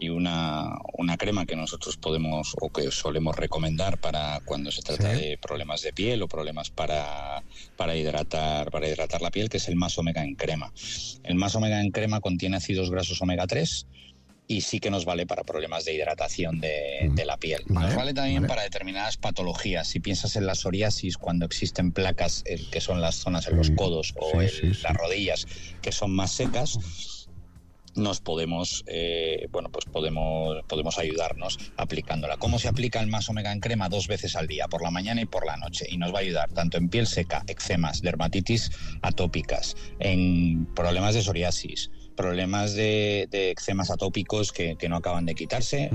una crema que nosotros podemos o que solemos recomendar para cuando se trata de problemas de piel o problemas para hidratar la piel, que es el Más Omega en crema. El Más Omega en crema contiene ácidos grasos omega 3 y sí que nos vale para problemas de hidratación de la piel. Nos vale también para determinadas patologías. Si piensas en la psoriasis, cuando existen placas que son las zonas en los codos o las rodillas que son más secas, nos podemos ayudarnos aplicándola. ¿Cómo se aplica el Más Omega en crema? 2 veces al día, por la mañana y por la noche, y nos va a ayudar tanto en piel seca, eczemas, dermatitis atópicas, en problemas de psoriasis, problemas de eczemas atópicos que no acaban de quitarse,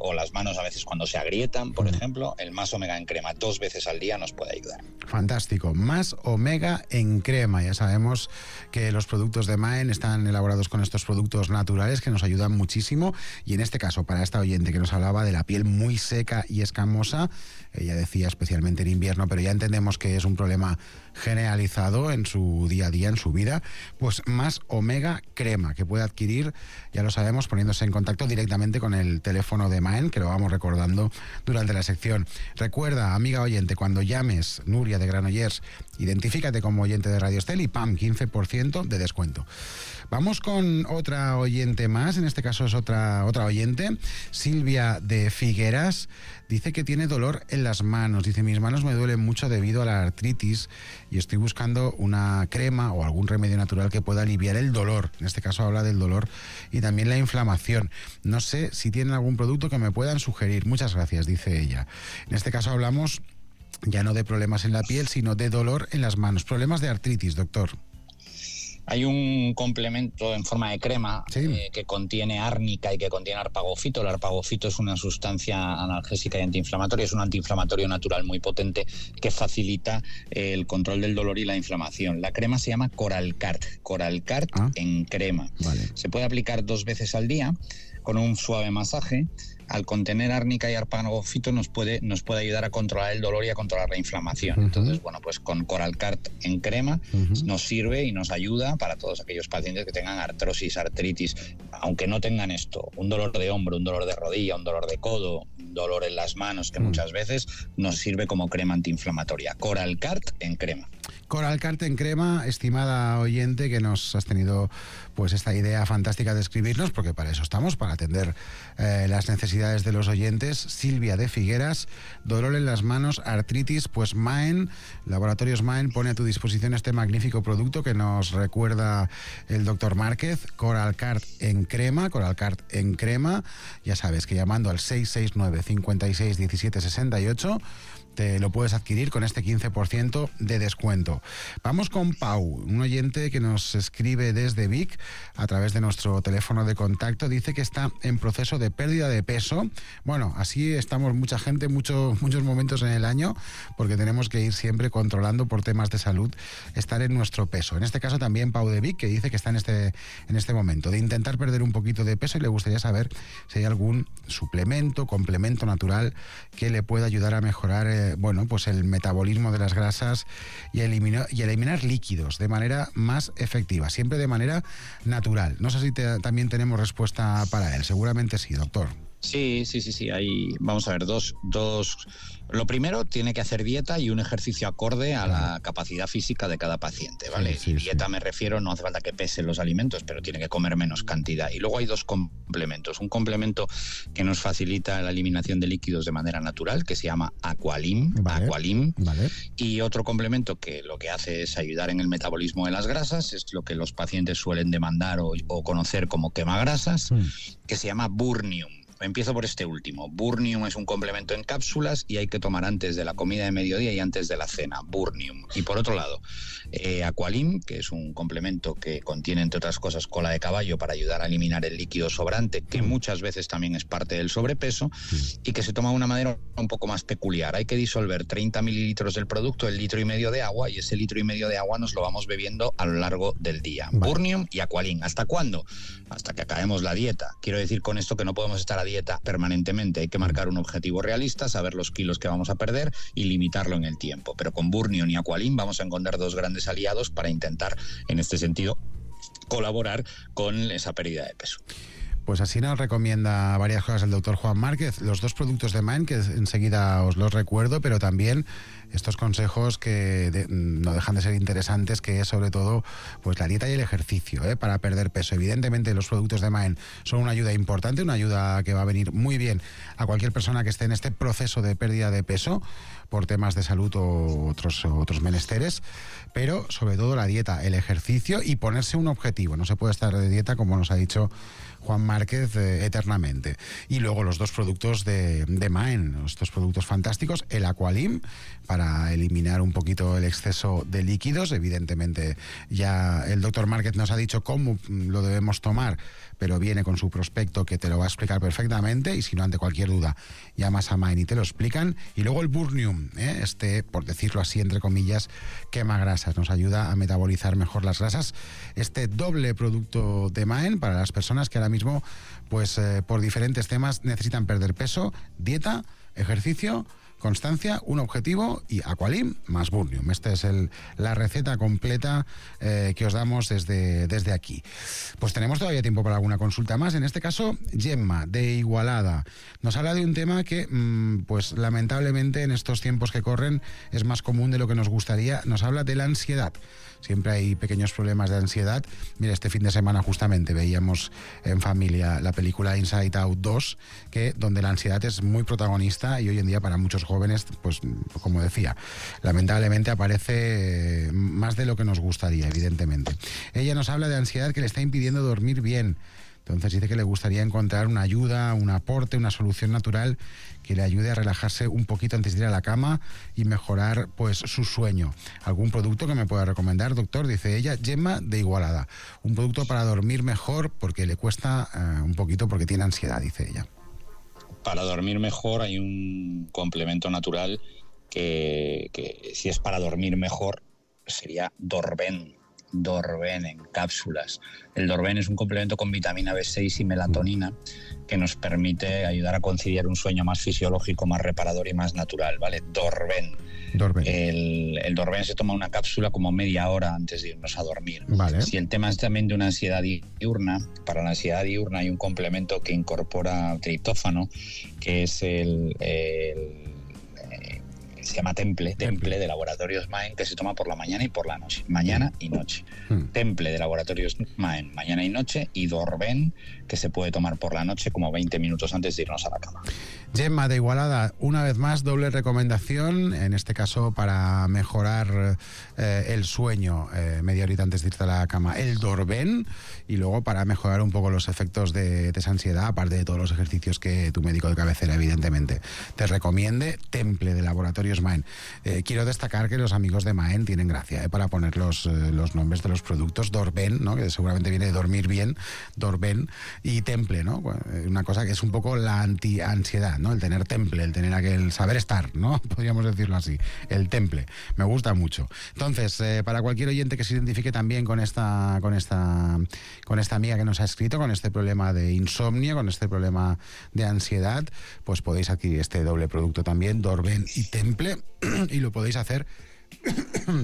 o las manos a veces cuando se agrietan, por ejemplo. El Más Omega en crema 2 veces al día nos puede ayudar. Fantástico. Más Omega en crema. Ya sabemos que los productos de Maen están elaborados con estos productos naturales que nos ayudan muchísimo, y en este caso para esta oyente que nos hablaba de la piel muy seca y escamosa, ella decía especialmente en invierno, pero ya entendemos que es un problema generalizado en su día a día, en su vida, pues Más Omega crema, que puede adquirir, ya lo sabemos, poniéndose en contacto directamente con el teléfono de Maen, que lo vamos recordando durante la sección. Recuerda, amiga oyente, cuando llames, Nuria de Granollers, identifícate como oyente de Radio Estel y ¡pam!, 15% de descuento. Vamos con otra oyente más, en este caso es otra oyente, Silvia de Figueras. Dice que tiene dolor en las manos. Dice: mis manos me duelen mucho debido a la artritis y estoy buscando una crema o algún remedio natural que pueda aliviar el dolor. En este caso habla del dolor y también la inflamación. No sé si tienen algún producto que me puedan sugerir. Muchas gracias, dice ella. En este caso hablamos ya no de problemas en la piel, sino de dolor en las manos. Problemas de artritis, doctor. Hay un complemento en forma de crema que contiene árnica y que contiene arpagofito. El arpagofito es una sustancia analgésica y antiinflamatoria, es un antiinflamatorio natural muy potente que facilita el control del dolor y la inflamación. La crema se llama Coralcart en crema. Vale. Se puede aplicar 2 veces al día con un suave masaje. Al contener árnica y arpagofito nos puede ayudar a controlar el dolor y a controlar la inflamación. Entonces, bueno, pues con Coralcart en crema nos sirve y nos ayuda para todos aquellos pacientes que tengan artrosis, artritis, aunque no tengan esto, un dolor de hombro, un dolor de rodilla, un dolor de codo, un dolor en las manos, que muchas veces nos sirve como crema antiinflamatoria. Coralcart en crema. Coralcart en crema, estimada oyente, que nos has tenido pues esta idea fantástica de escribirnos, porque para eso estamos, para atender las necesidades de los oyentes. Silvia de Figueras, dolor en las manos, artritis, pues Maen, Laboratorios Maen pone a tu disposición este magnífico producto que nos recuerda el doctor Márquez, Coralcart en crema, ya sabes que llamando al 669 56 17 68 te lo puedes adquirir con este 15% de descuento. Vamos con Pau, un oyente que nos escribe desde Vic a través de nuestro teléfono de contacto. Dice que está en proceso de pérdida de peso. Bueno, así estamos mucha gente, muchos momentos en el año, porque tenemos que ir siempre controlando por temas de salud, estar en nuestro peso. En este caso también Pau de Vic, que dice que está en este momento de intentar perder un poquito de peso y le gustaría saber si hay algún suplemento, complemento natural que le pueda ayudar a mejorar pues el metabolismo de las grasas y eliminar líquidos de manera más efectiva, siempre de manera natural. No sé si también tenemos respuesta para él. Seguramente sí, doctor. Sí. Vamos a ver, dos. Lo primero, tiene que hacer dieta y un ejercicio acorde a la capacidad física de cada paciente, ¿vale? Sí, y dieta me refiero, no hace falta que pese los alimentos, pero tiene que comer menos cantidad. Y luego hay dos complementos. Un complemento que nos facilita la eliminación de líquidos de manera natural, que se llama Aqualim. Vale. Y otro complemento que lo que hace es ayudar en el metabolismo de las grasas, es lo que los pacientes suelen demandar o conocer como quemagrasas, que se llama Burnium. Empiezo por este último. Burnium es un complemento en cápsulas y hay que tomar antes de la comida de mediodía y antes de la cena. Burnium. Y por otro lado, Aqualim, que es un complemento que contiene, entre otras cosas, cola de caballo para ayudar a eliminar el líquido sobrante, que muchas veces también es parte del sobrepeso, y que se toma de una manera un poco más peculiar. Hay que disolver 30 mililitros del producto en 1,5 litros de agua, y ese 1,5 litros de agua nos lo vamos bebiendo a lo largo del día. Burnium y Aqualim. ¿Hasta cuándo? Hasta que acabemos la dieta. Quiero decir con esto que no podemos estar a dieta permanentemente. Hay que marcar un objetivo realista, saber los kilos que vamos a perder y limitarlo en el tiempo. Pero con Burnium y Aqualim vamos a encontrar dos grandes aliados para intentar, en este sentido, colaborar con esa pérdida de peso. Pues así nos recomienda varias cosas el doctor Juan Márquez. Los dos productos de Maen, que enseguida os los recuerdo, pero también estos consejos que no dejan de ser interesantes, que es sobre todo pues la dieta y el ejercicio, para perder peso. Evidentemente los productos de Maen son una ayuda importante, una ayuda que va a venir muy bien a cualquier persona que esté en este proceso de pérdida de peso por temas de salud o otros menesteres, pero sobre todo la dieta, el ejercicio y ponerse un objetivo. No se puede estar de dieta, como nos ha dicho Juan Márquez, eternamente. Y luego los dos productos de Maen, estos productos fantásticos, el Aqualim, para eliminar un poquito el exceso de líquidos. Evidentemente ya el doctor Márquez nos ha dicho cómo lo debemos tomar, pero viene con su prospecto que te lo va a explicar perfectamente, y si no, ante cualquier duda, llamas a Maen y te lo explican. Y luego el Burnium, por decirlo así, entre comillas, quema grasas, nos ayuda a metabolizar mejor las grasas. Este doble producto de Maen para las personas que ahora mismo, pues por diferentes temas, necesitan perder peso, dieta, ejercicio, constancia, un objetivo y Aqualim más Burnium. Esta es la receta completa que os damos desde aquí. Pues tenemos todavía tiempo para alguna consulta más. En este caso, Gemma, de Igualada, nos habla de un tema que, pues lamentablemente en estos tiempos que corren es más común de lo que nos gustaría. Nos habla de la ansiedad. Siempre hay pequeños problemas de ansiedad. Mira, este fin de semana justamente veíamos en familia la película Inside Out 2, donde la ansiedad es muy protagonista, y hoy en día para muchos jóvenes, pues como decía, lamentablemente aparece más de lo que nos gustaría, evidentemente. Ella nos habla de ansiedad que le está impidiendo dormir bien. Entonces dice que le gustaría encontrar una ayuda, un aporte, una solución natural que le ayude a relajarse un poquito antes de ir a la cama y mejorar pues su sueño. ¿Algún producto que me pueda recomendar, doctor? Dice ella. Gemma, de Igualada. Un producto para dormir mejor, porque le cuesta un poquito, porque tiene ansiedad, dice ella. Para dormir mejor hay un complemento natural que si es para dormir mejor sería Dorben en cápsulas. El Dorben es un complemento con vitamina B6 y melatonina que nos permite ayudar a conciliar un sueño más fisiológico, más reparador y más natural, ¿vale? Dorben. El Dorben se toma una cápsula como media hora antes de irnos a dormir. Vale. Si el tema es también de una ansiedad diurna, para la ansiedad diurna hay un complemento que incorpora triptófano, que es se llama Temple de Laboratorios Maen, que se toma por la mañana y por la noche. Mañana y noche. Temple de Laboratorios Maen, mañana y noche, y Dorben, que se puede tomar por la noche como 20 minutos antes de irnos a la cama. Gemma, de Igualada, una vez más, doble recomendación, en este caso para mejorar el sueño media horita antes de irte a la cama, el Dorben, y luego para mejorar un poco los efectos de esa ansiedad, aparte de todos los ejercicios que tu médico de cabecera, evidentemente, te recomiende, Temple de Laboratorios Maen. Quiero destacar que los amigos de Maen tienen gracia para poner los nombres de los productos. Dorben, ¿no?, que seguramente viene de dormir bien, Dorben, y Temple, ¿no?, una cosa que es un poco la anti-ansiedad, ¿no?, el tener temple, el tener aquel saber estar, ¿no?, podríamos decirlo así, el temple. Me gusta mucho. Entonces, para cualquier oyente que se identifique también con esta amiga que nos ha escrito, con este problema de insomnio, con este problema de ansiedad, pues podéis adquirir este doble producto también, Dorben y Temple, y lo podéis hacer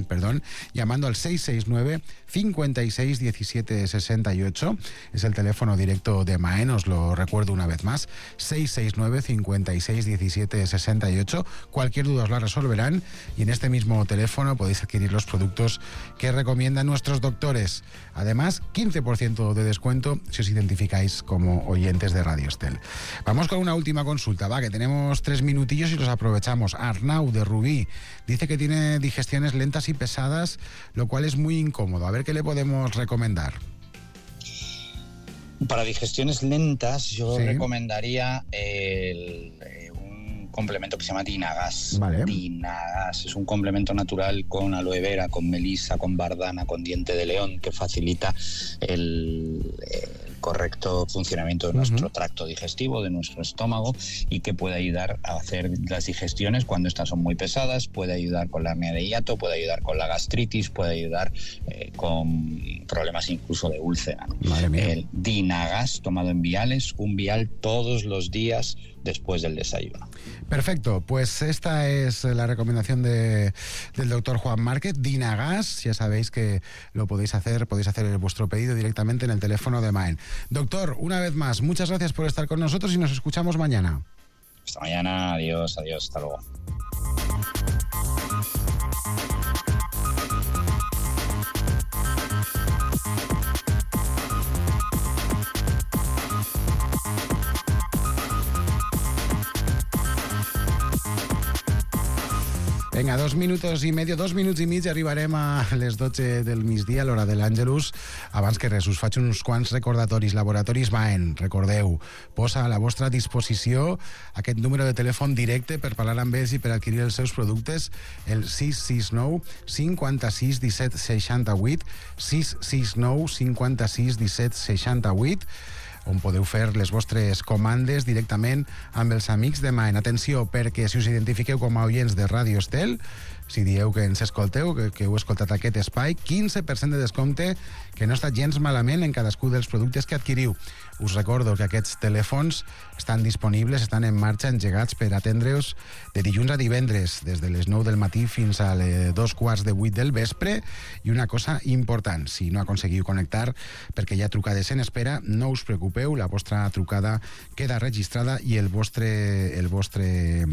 perdón, llamando al 669 56 17 68. Es el teléfono directo de Maen, os lo recuerdo una vez más, 669 56 17 68. Cualquier duda os la resolverán y en este mismo teléfono podéis adquirir los productos que recomiendan nuestros doctores. Además, 15% de descuento si os identificáis como oyentes de Radio Estel. Vamos con una última consulta, va, que tenemos 3 minutillos y los aprovechamos. Arnau, de Rubí, dice que tiene digestiones lentas y pesadas, lo cual es muy incómodo. A ver qué le podemos recomendar. Para digestiones lentas, yo recomendaría un complemento que se llama Dinagas. Vale. Dinagas es un complemento natural con aloe vera, con melisa, con bardana, con diente de león, que facilita el correcto funcionamiento de nuestro tracto digestivo, de nuestro estómago, y que puede ayudar a hacer las digestiones cuando estas son muy pesadas, puede ayudar con la hernia de hiato, puede ayudar con la gastritis, puede ayudar con problemas incluso de úlcera, ¿no? El Dinagas tomado en viales, un vial todos los días después del desayuno. Perfecto, pues esta es la recomendación del doctor Juan Márquez, Dinagas. Ya sabéis que lo podéis hacer vuestro pedido directamente en el teléfono de Maen. Doctor, una vez más, muchas gracias por estar con nosotros y nos escuchamos mañana. Hasta mañana, adiós, hasta luego. Vinga, 2 minuts i mig, arribarem a les 12 del migdia, a l'hora de l'Àngelus. Abans que res, us faig uns quants recordatoris. Laboratoris Maen, recordeu, posa a la vostra disposició aquest número de telèfon directe per parlar amb ells i per adquirir els seus productes, el 669 56 17 68, 669 56 17 68, on podeu fer les vostres comandes directament amb els amics de Maen. Atenció, perquè si us identifiqueu com a oients de Radio Estel, si dieu que ens escolteu, que heu escoltat aquest espai, 15% de descompte, que no està gens malament en cadascú dels productes que adquiriu. Us recordo que aquests telèfons estan disponibles, estan en marxa, engegats per atendre-us de dilluns a divendres, des de les 9 del matí fins a les 7:45 del vespre. I una cosa important, si no aconseguiu connectar perquè hi ha trucades en espera, no us preocupeu, la vostra trucada queda registrada i el vostre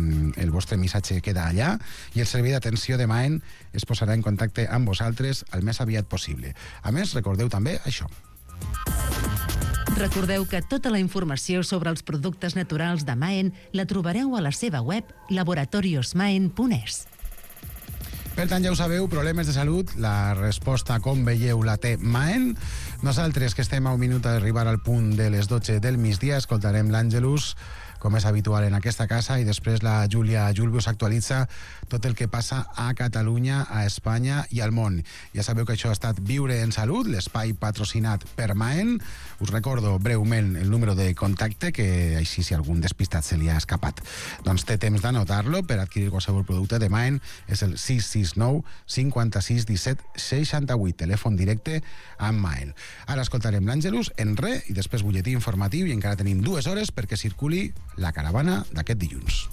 missatge queda allà i el servei d'atenció de Maen es posarà en contacte amb vosaltres el més aviat possible. A més, recordeu també això. Recordeu que tota la informació sobre els productes naturals de Maen la trobareu a la seva web laboratoriosmaen.es. Per tant, ja ho sabeu, problemes de salut, la resposta, com veieu, la té Maen. Nosaltres, que estem a un minut d'arribar al punt de les 12 del migdia, escoltarem l'Àngelus, com és habitual en aquesta casa, i després la Júlia Julbi us actualitza tot el que passa a Catalunya, a Espanya i al món. Ja sabeu que això ha estat Viure en Salut, l'espai patrocinat per Maen. Us recordo breument el número de contacte, que així si algun despistat se li ha escapat, doncs té temps d'anotar-lo per adquirir qualsevol producte de Maen. És el 669 56 17 68, telèfon directe amb Maen. Ara escoltarem l'Àngelus en i després butlletí informatiu, i encara tenim 2 hores perquè circuli la caravana d'aquest dilluns.